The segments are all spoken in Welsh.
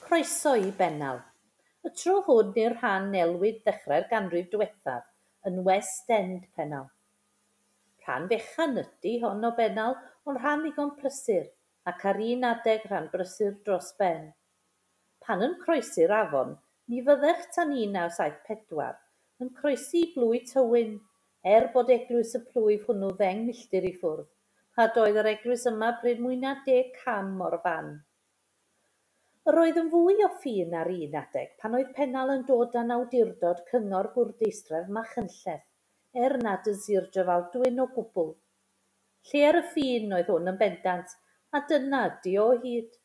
Croeso i Bennal. Y tro hwn i'r rhan elwid ddechrau'r ganrif diwethaf yn West End Pennal. Rhan fechan ydy hon o Bennal, ond rhan ddigon prysur, ac ar un adeg rhan brysur dros ben. Pan yn croesi'r afon, ni fyddech tan 1974 yn croesi i blwy Tywyn, er bod eglwys y plwyf hwnnw 10 milltir i ffwrdd, a doedd yr eglwys yma pryd mwy na 10 cam o'r fan. Yr oedd yn fwy o ffin ar un adeg pan oedd Pennal yn dod dan awdurdod Cyngor Bwrdeistref Machynlleth, er nad yn Sir Drefaldwyn o gwbl. Lle ar y ffin oedd hwn yn bendant, a dyna ydi o hyd.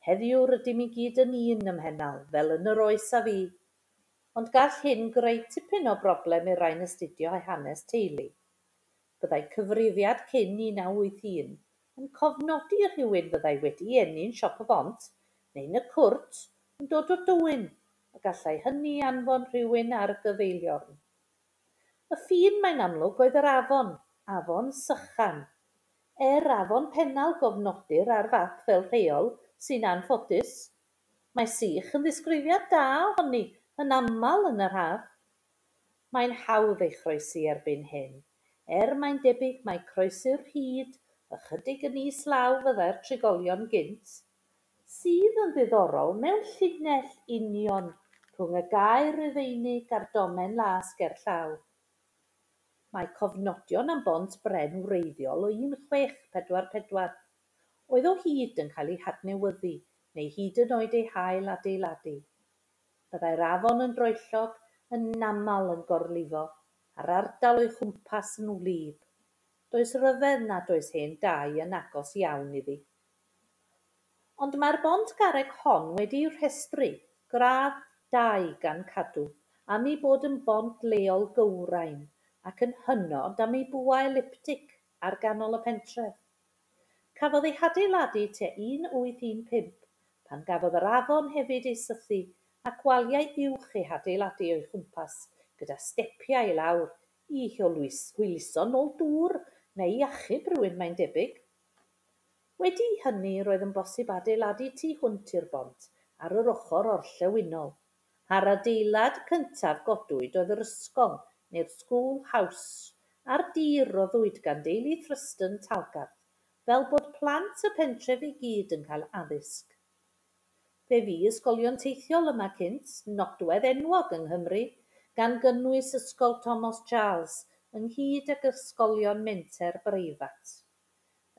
Heddiw rydym i gyd yn un ym Mhennal, fel yn yr oes a fu. Ond gall hyn greu tipyn o broblem i'r rhai'n astudio hanes teulu. Byddai cyfrifiad cyn 1981 yn cofnodi rhywun fyddai wedi eni'n Siop y Bont neu'n y Cwrt yn dod o Dywyn, a gallai hynny anfon rhywun ar gyfeiliorn. Y ffin, mae'n amlwg, oedd yr afon, Afon Sychan. Er Afon Pennal gofnodir ar fap fel rheol, sy'n anffodus. Mae sych yn ddisgrifiad da ohoni, yn aml yn yr haf. Mae'n hawdd ei chroesi erbyn hyn, er mae'n debyg mai croesi'r rhyd ychydig yn is law fyddai'r trigolion gynt, sydd yn ddiddorol mewn llinell union rhwng y gaer Rufeinig a'r domen las gerllaw. Mae cofnodion am bont bren wreiddiol o 1644, oedd o hyd yn cael ei hadnewyddu neu hyd yn oed ei hail adeiladu. Byddai'r afon yn droellog, yn aml yn gorlifo, a'r ardal o'i chwmpas yn wlyb. Does ryfedd nad oes hen dai yn agos iawn iddi. Ond mae'r bont garreg hon wedi'i rhestru, gradd 2 gan Cadw, am ei bod yn bont leol gywrain ac yn hynod am ei bwa eliptig ar ganol y pentref. Cafodd ei hadeiladu tua 1815, pan gafodd yr afon hefyd ei sythu ac waliau uwch eu hadeiladu o'i chwmpas gyda stepiau i lawr i hwyluso nôl dŵr neu i achub rhywun mae'n debyg. Wedi hynny roedd yn bosib adeiladu tu hwnt i'r bont ar yr ochr orllewinol, a'r adeilad cyntaf godwyd oedd yr ysgol neu'r School House a'r dir roddwyd gan deulu Thruston Talgarth fel bod plant y pentref i gyd yn cael addysg. Fe fu ysgolion teithiol yma cynt, nodwedd enwog yng Nghymru, gan gynnwys Ysgol Thomas Charles ynghyd ag ysgolion menter breifat.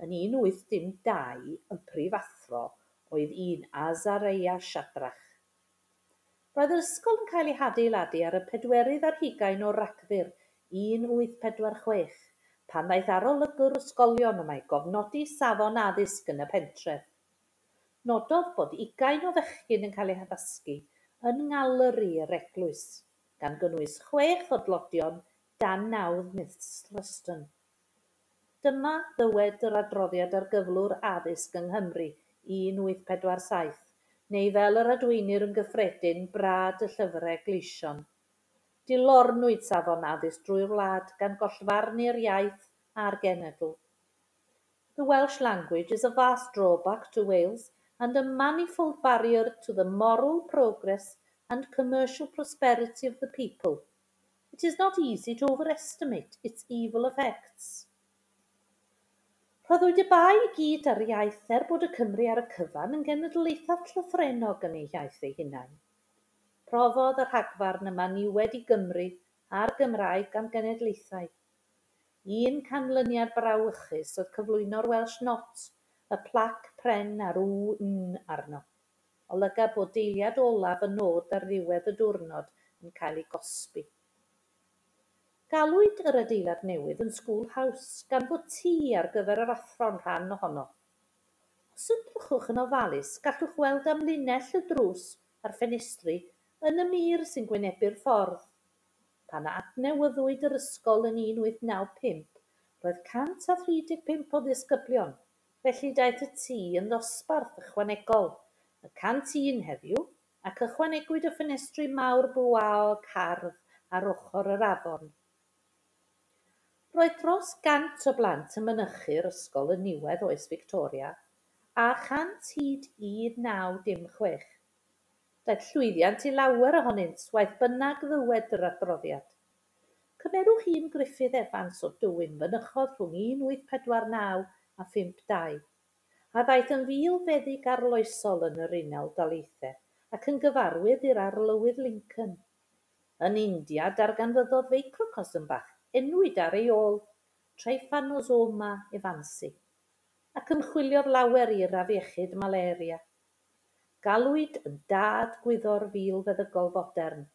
Yn 1802, y prifathro oedd un Azariah Shadrach. Roedd yr ysgol yn cael ei hadeiladu ar y 24 o Ragfyr 1846, pan ddaeth arolygwr ysgolion yma i gofnodi safon addysg yn y pentref. Nododd bod 20 o fechgyn yn cael eu haddysgu yn ngaleri yr eglwys, gan gynnwys 6 o dlodion dan nawdd Miss Thruston. Dyma ddywed yr adroddiad ar gyflwr addysg yng Nghymru 1847, neu fel yr adweinir yn gyffredin, brad y llyfrau gleision. Dilornwyd safon addysg drwy'r wlad gan gollfarnu'r iaith a'r genedl. The Welsh language is a vast drawback to Wales and a manifold barrier to the moral progress and commercial prosperity of the people. It is not easy to overestimate its evil effects. Rhoddwyd y bai i gyd ar iaith er bod y Cymry ar y cyfan yn genedl eithaf llythrennog yn eu hiaith eu hunain. Profodd y rhagfarn yma niwed i Gymru a'r Gymraeg am genedlaethau. Un canlyniad brawychus oedd cyflwyno'r Welsh Not, y plac pren a'r W N arno. Olyga bod deiliad olaf y nod ar ddiwedd y diwrnod yn cael ei gosbi. Galwyd yr adeilad newydd yn School House gan fod tŷ ar gyfer yr athro'n rhan ohono. Os edrychwch yn ofalus, gallwch weld amlinell y drws a'r ffenestri yn y mur sy'n gwynebu'r ffordd. Pan adnewyddwyd yr ysgol yn 1895, roedd 135 o ddisgyblion, felly daeth y tŷ yn ddosbarth ychwanegol, y 101 heddiw, ac ychwanegwyd y ffenestri mawr bwaog hardd ar ochr yr afon. Roedd dros 100 o blant yn mynychu'r ysgol yn niwedd oes Victoria, a 100 hyd 1906. Daeth llwyddiant i lawer ohonynt, waeth bynnag ddywed yr adroddiad. Cymerwch un Gruffydd Evans o Dywyn fynychodd rhwng 1849 a 52, a ddaeth yn filfeddyg arloesol yn yr Unol Daleithiau ac yn gyfarwydd i'r Arlywydd Lincoln. Yn India darganfyddodd feicrocosm bach enwyd ar ei ôl, Trypanosoma evansi, ac ymchwiliodd lawer i'r afiechyd malaria. Galwyd yn dad gwyddor filfeddygol fodern,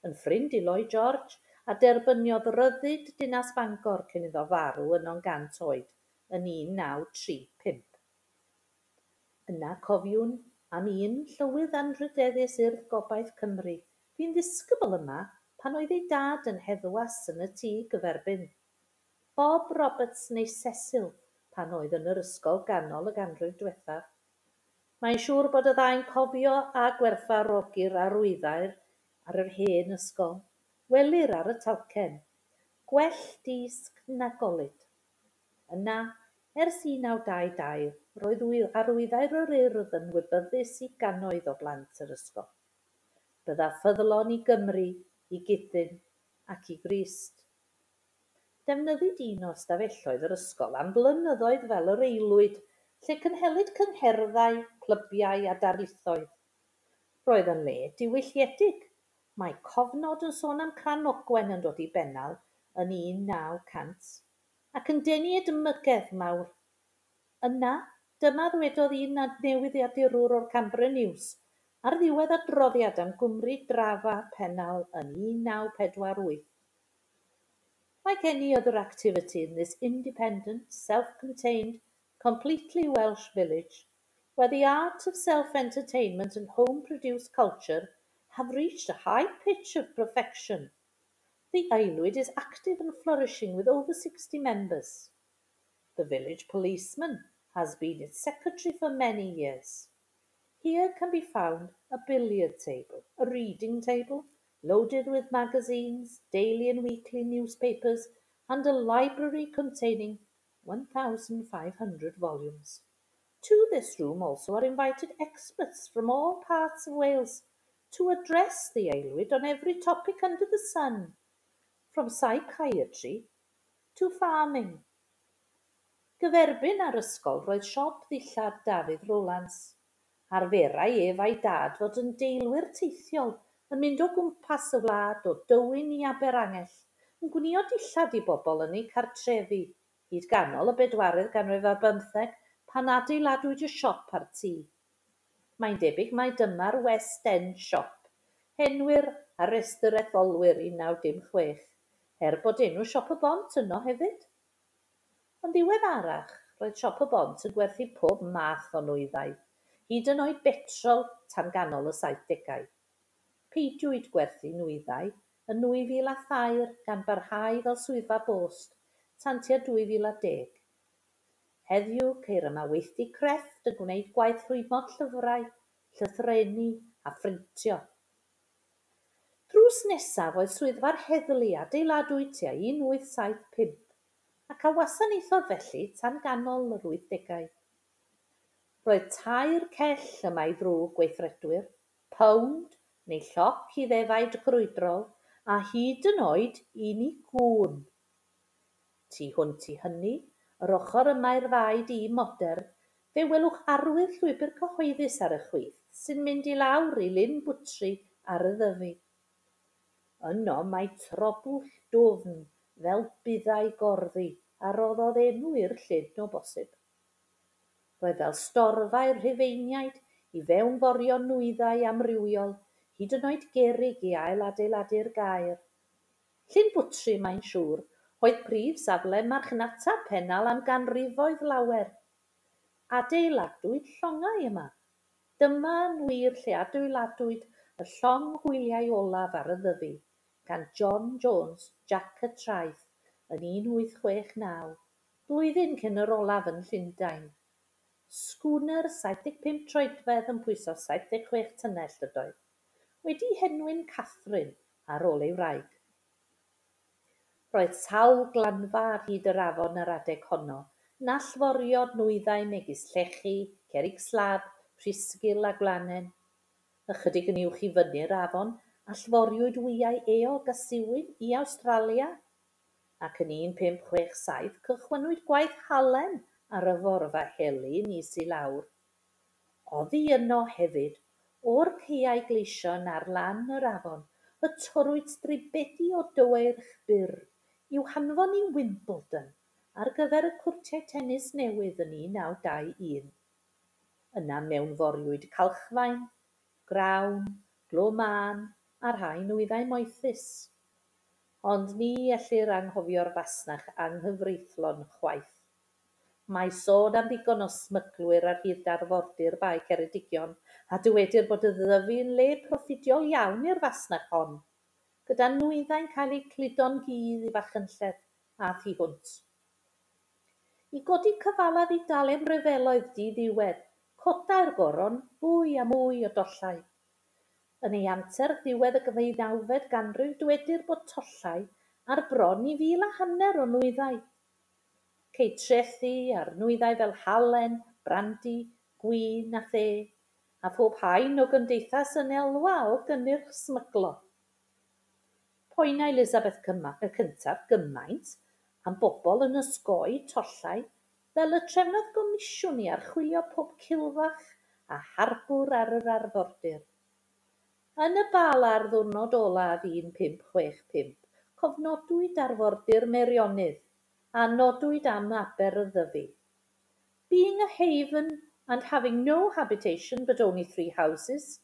yn ffrind i Lloyd George, a derbyniodd ryddid dinas Bangor cyn iddo farw yno'n 100 oed yn 1935. Yna cofiwn am un Llywydd Anrhydeddus Urdd Gobaith Cymru fu'n ddisgybl yma pan oedd ei dad yn heddwas yn y tŷ gyferbyn, Bob Roberts neu Cecil pan oedd yn yr ysgol ganol y ganrif diwethaf. Mae'n siŵr bod y ddau'n cofio a gwerthfawrogi'r arwyddair ar yr hen ysgol. Welir ar y talcen, "Gwell dysg na golud." Yna, ers 1922, roedd arwyddair yr Urdd yn wybyddus i gannoedd o blant yr ysgol. Bydda ffyddlon i Gymru, i Gudyn ac i Grist. Defnyddid un o ystafelloedd yr ysgol am flynyddoedd fel yr aelwyd, lle cynhelid cyngherddau, clybiau a darlithoedd. Roedd yn le diwylliedig. Mae cofnod yn sôn am Cranogwen yn dod i Bennal yn 1900, ac yn denu edmygedd mawr. Yna, dyma ddwedodd un newyddiadurwr o'r Canberra News ar ddiwedd adroddiad am Gwmri Drafa Pennal yn 1948. "Like any other activity in this independent, self-contained, completely Welsh village, where the art of self-entertainment and home-produced culture have reached a high pitch of perfection, the Aelwyd is active and flourishing with over 60 members. The village policeman has been its secretary for many years. Here can be found a billiard table, a reading table, loaded with magazines, daily and weekly newspapers, and a library containing 1,500 volumes. To this room also are invited experts from all parts of Wales to address the Aelwyd on every topic under the sun, from psychiatry to farming." Gyferbyn â'r ysgol roedd siop ddillad Dafydd Rowlands. Arferai ef a'i dad fod yn deilwyr teithiol yn mynd o gwmpas y wlad o Dywyn i Aberangell, yn gwnïo dillad i bobl yn eu cartrefi, hyd ganol y bedwaredd ganrif ar bymtheg pan adeiladwyd y siop a'r tŷ. Mae'n debyg mai dyma'r West End Shop, henwir ar restr etholwyr 1906, er bod enw Siop y Bont yno hefyd. Yn ddiweddarach, roedd Siop y Bont yn gwerthu pob math o nwyddau, hyd yn oed betrol tan ganol y 70au. Peidiwyd gwerthu nwyddau yn 2003 gan barhau fel swyddfa bost tan tua 2010. Heddiw ceir yma weithdy crefft yn gwneud gwaith rhwymo llyfrau, llythrenu a phrintio. Drws nesaf oedd swyddfa'r heddlu adeiladwyd tua 1875 ac a wasanaethodd felly tan ganol yr 80au. Roedd tair cell yma i ddrwg gweithredwyr, pownd neu lloc i ddefaid crwydrol, a hyd yn oed un i gŵn. Tu hwnt i hynny, yr ochr yma i'r ddau dŷ modern, fe welwch arwydd llwybr cyhoeddus ar y chwith sy'n mynd i lawr i Lyn Bwtri ar y Ddyfi. Yno mae trobwll dwfn fel buddau gorddi a roddodd enw i'r llyn o bosib. Roedd fel storfa i'r Rhufeiniaid i fewnforio nwyddau amrywiol, hyd yn oed gerrig i ailadeiladu'r gaer. Llyn Bwtri, mae'n siŵr, oedd prif safle marchnata Pennal am ganrifoedd lawer. Adeiladwyd llongau yma. Dyma yn wir lle adeiladwyd y llong hwyliau olaf ar y Ddyfi, gan John Jones, Jac y Traeth, yn 1869, blwyddyn cyn yr olaf yn Llundain. Sgwner 75 troedfedd yn pwyso 76 tunnell ydoedd, wedi'i henwi'n Catherine ar ôl ei wraig. Roedd sawl glanfa ar hyd yr afon yr adeg honno yn allforio nwyddau megis llechi, cerrig slab, rhisgl a gwlanen. Ychydig yn uwch i fyny'r afon, allforiwyd wyau eog a siwin i Awstralia, ac yn 1567 cychwynnwyd gwaith halen ar y forfa heli yn is i lawr. Oddi yno hefyd, o'r caeau gleision ar lan yr afon, y torrwyd stribedi o dyweirch byr i'w hanfon i Wimbledon ar gyfer y cwrtiau tenis newydd yn 1921. Yna mewnforiwyd calchfaen, grawn, glo mân a rhai nwyddau moethus. Ond ni ellir anghofio'r fasnach anghyfreithlon chwaith. Mae sôn am ddigon o smyglwyr ar hyd arfordir Bae Ceredigion, a dywedir bod y Ddyfi yn le proffidiol iawn i'r fasnach hon, gyda nwyddau'n cael eu cludo'n gudd i Fachynlleth a thu hwnt. I godi cyfalaf i dalu am ryfeloedd diddiwedd, codai'r goron fwy a mwy o dollau. Yn ei anterth ddiwedd y ddeunawfed ganrif dywedir bod tollau ar bron i 1,500 o nwyddau. Ceid trethi ar nwyddau fel halen, brandi, gwin a the, a phob haen o gymdeithas yn elwa o gynnyrch smyglo. Poenai Elizabeth y Cyntaf gymaint am bobl yn osgoi tollau fel y trefnodd gomisiwn i archwilio pob cilfach a harbwr ar yr arfordir. Yn y Bala ar ddiwrnod olaf 1565, cofnodwyd arfordir Meirionnydd a nodwyd am Aber y Ddyfi. Being a haven and having no habitation but only three houses,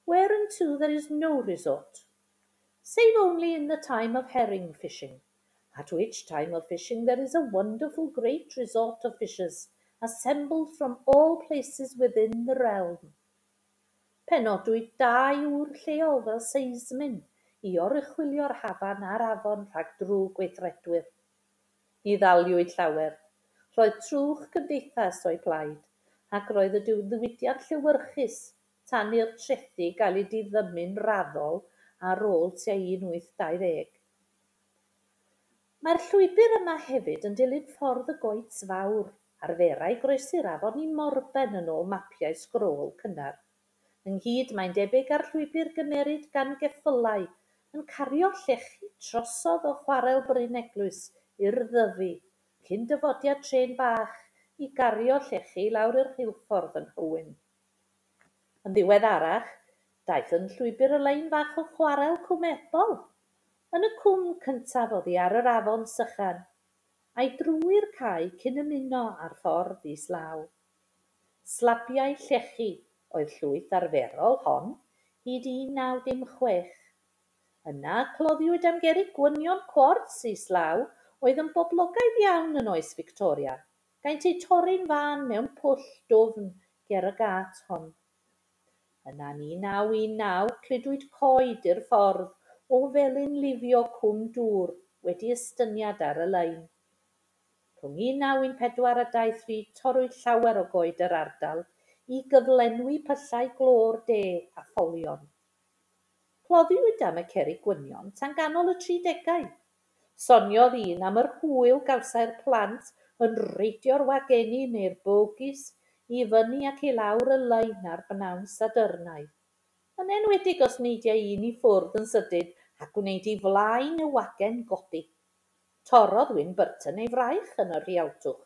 whereunto there is no resort, save only in the time of herring fishing, at which time of fishing there is a wonderful great resort of fishers assembled from all places within the realm. Penodwyd dau ŵr lleol fel seismyn i oruchwylio'r hafan a'r afon rhag drwg gweithredwyr. Ni ddaliwyd llawer. Roedd trwch cymdeithas o'u plaid, ac roedd y diwydiant llewyrchus tan i'r trethi gael eu diddymu'n raddol ar ôl tua 1820. Mae'r llwybr yma hefyd yn dilyn ffordd y Goets Fawr, arferai groesi'r afon i Morben yn ôl mapiau sgrôl cynnar. Ynghyd, mae'n debyg â'r llwybr gymerid gan geffylau yn cario llechi trosodd o chwarel Bryn Eglwys i'r Ddyfi, cyn dyfodiad trên bach i gario llechi i lawr i'r rheilffordd yn Nhywyn. Yn ddiweddarach, daeth yn llwybr y lein fach o chwarel Cwm Ebol, yn y cwm cyntaf oddi ar yr afon Sychan, a'i drwy'r cae cyn ymuno â'r ffordd islaw. Slabiau llechi oedd llwyth arferol hon hyd 1916. Yna cloddiwyd am gerrig gwynion cwarts islaw oedd yn boblogaidd iawn yn oes Victoria, gaent eu torri'n fân mewn pwll dwfn ger y gât hon. Yna yn 1919 cludwyd coed i'r ffordd o felin lifio Cwm Dŵr wedi estyniad ar y lein. Rhwng 1914 a 23 torrwyd llawer o goed yr ardal i gyflenwi pyllau glo'r de a pholion. Cloddiwyd am y cerrig gwynion tan ganol y tridegau. Soniodd un am yr hwyl gawsai'r plant yn reidio'r wageni neu'r bogies i fyny ac i lawr y lein ar bnawn Sadyrnau. Yn enwedig os neidiai un i ffwrdd yn sydyn a gwneud i flaen y wagen godi. Torrodd Wyn Burton ei fraich yn y rhialtwch.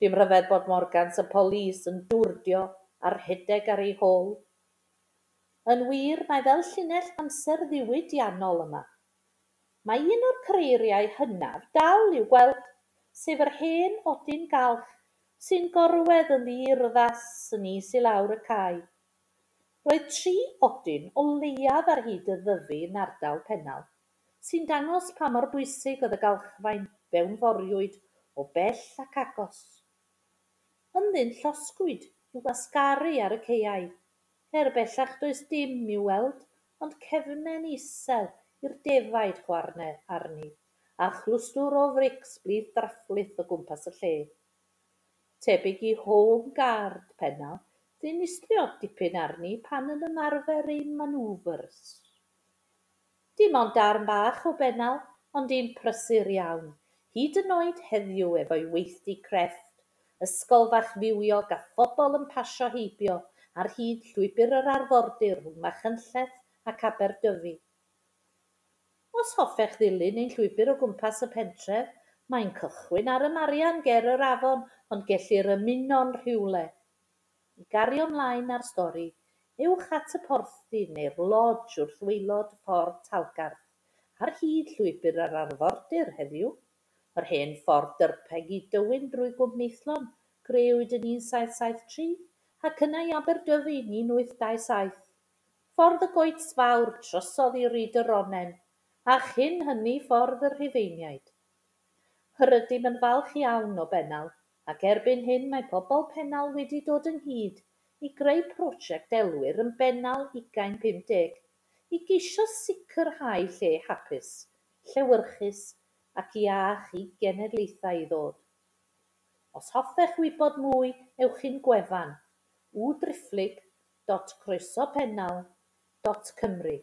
Dim rhyfedd bod Morgans y polis yn dwrdio a rhedeg ar ei hôl. Yn wir, mae fel llinell amser ddiwydiannol yma. Mae un o'r creiriau hynaf dal i'w gweld, sef yr hen odyn galch sy'n gorwedd yn ddiurddas yn is i lawr y cae. Roedd tri odyn o leiaf ar hyd y Ddyfi yn ardal Pennal, sy'n dangos pa mor bwysig oedd y galchfaen fewnforiwyd o bell ac agos. Ynddynt llosgwyd i'w wasgaru ar y caeau, er bellach does dim i'w weld ond cefnen isel i'r defaid chwarne arni, a chlwstwr o frics blith draphlith o gwmpas y lle. Tebyg i Home Guard Pennal ddinistriodd dipyn arni pan yn ymarfer ei manoeuvres. Dim ond darn bach o Bennal, ond un prysur iawn, hyd yn oed heddiw efo'i weithdy crefft, ysgol fach fywiog a phobl yn pasio heibio ar hyd llwybr yr arfordir rhwng Machynlleth ac Aberdyfi. Os hoffech ddilyn ein llwybr o gwmpas y pentref, mae'n cychwyn ar y Marian ger yr afon, ond gellir ymuno'n rhywle. I gario mlaen â'r stori, ewch at y porthdy neu'r lodge wrth waelod Ffordd Talgarth, ar hyd llwybr yr arfordir heddiw, yr hen ffordd dyrpeg i Dywyn drwy Gwm Maethlon, grëwyd yn 1773, ac yna i Aberdyfi yn 1827. Ffordd y Goets Fawr trosodd i Ryd y Ronen, a chyn hynny Ffordd y Rhufeiniaid. Yr ydym yn falch iawn o Bennal, ac erbyn hyn mae pobl Pennal wedi dod ynghyd i greu prosiect elwir yn Bennal 2050 i geisio sicrhau lle hapus, llewyrchus ac iach i genedlaethau i ddod. Os hoffech wybod mwy, ewch i'n gwefan www.croesopennal.cymru.